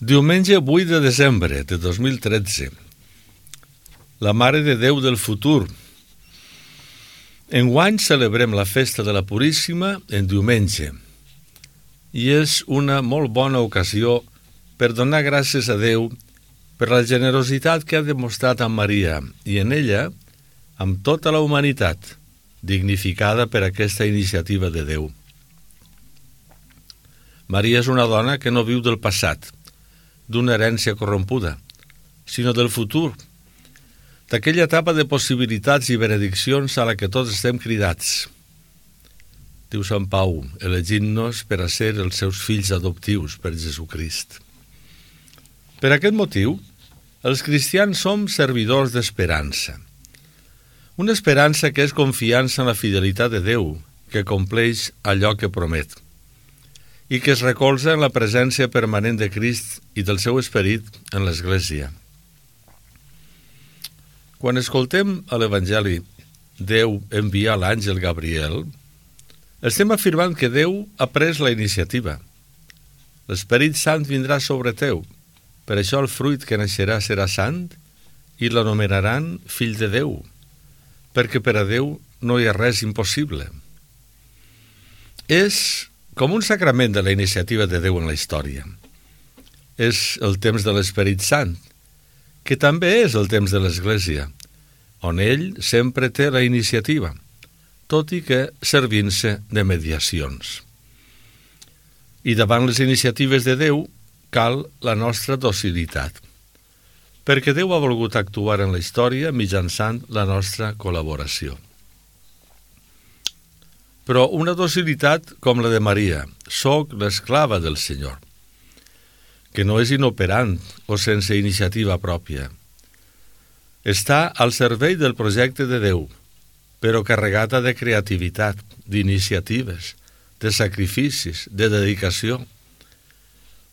Diumenge 8 de desembre de 2013. La Mare de Déu del futur. Enguany celebrem la festa de la Puríssima en diumenge i és una molt bona ocasió per donar gràcies a Déu per la generositat que ha demostrat amb Maria i en ella amb tota la humanitat, dignificada per aquesta iniciativa de Déu. Maria és una dona que no viu del passat, d'una herència corrompuda, sinó del futur, d'aquella etapa de possibilitats i benediccions a la que tots estem cridats. Diu Sant Pau, elegint-nos per a ser els seus fills adoptius per Jesucrist. Per aquest motiu, els cristians som servidors d'esperança. Una esperança que és confiança en la fidelitat de Déu, que compleix allò que promet, i que es recolza en la presència permanent de Crist i del seu esperit en l'Església. Quan escoltem a l'Evangeli Déu enviar l'àngel Gabriel, estem afirmant que Déu ha pres la iniciativa. L'Esperit Sant vindrà sobre teu, per això el fruit que naixerà serà sant i l'anomenaran fill de Déu, perquè per a Déu no hi ha res impossible. És com un sacrament de la iniciativa de Déu en la història. És el temps de l'Esperit Sant, que també és el temps de l'Església, on ell sempre té la iniciativa, tot i que servint-se de mediacions. I davant les iniciatives de Déu cal la nostra docilitat, perquè Déu ha volgut actuar en la història mitjançant la nostra col·laboració. Però una docilitat com la de Maria, soc l'esclava del Senyor, que no és inoperant o sense iniciativa pròpia. Està al servei del projecte de Déu, però carregada de creativitat, d'iniciatives, de sacrificis, de dedicació,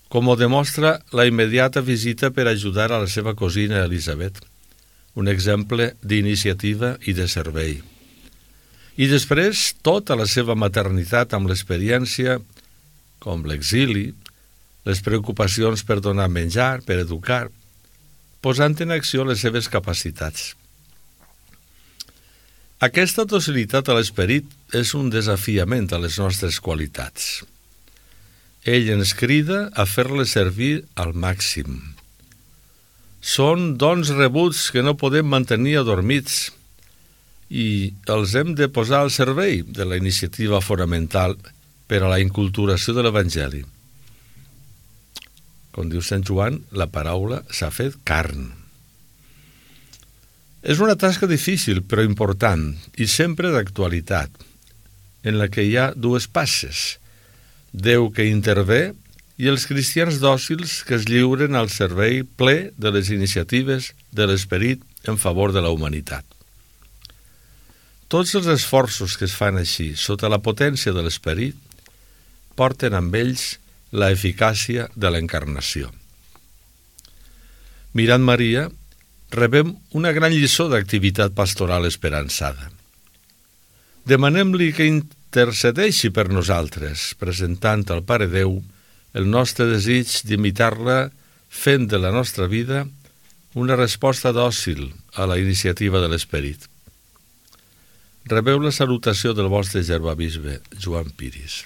com ho demostra la immediata visita per ajudar a la seva cosina Elisabet, un exemple d'iniciativa i de servei. I després tota la seva maternitat amb l'experiència, com l'exili, les preocupacions per donar menjar, per educar, posant en acció les seves capacitats. Aquesta docilitat a l'esperit és un desafiament a les nostres qualitats. Ell ens crida a fer-les servir al màxim. Són dons rebuts que no podem mantenir adormits i els hem de posar al servei de la iniciativa fonamental per a la inculturació de l'Evangeli. Com diu Sant Joan, la paraula s'ha fet carn. És una tasca difícil però important i sempre d'actualitat, en la que hi ha dues passes, Déu que intervé i els cristians dòcils que es lliuren al servei ple de les iniciatives de l'esperit en favor de la humanitat. Tots els esforços que es fan així, sota la potència de l'esperit, porten amb ells la eficàcia de l'encarnació. Mirant Maria, rebem una gran lliçó d'activitat pastoral esperançada. Demanem-li que intercedeixi per nosaltres, presentant al Pare Déu el nostre desig d'imitar-la fent de la nostra vida una resposta dòcil a la iniciativa de l'esperit. Rebeu la salutació del vostre germà bisbe, Joan Piris.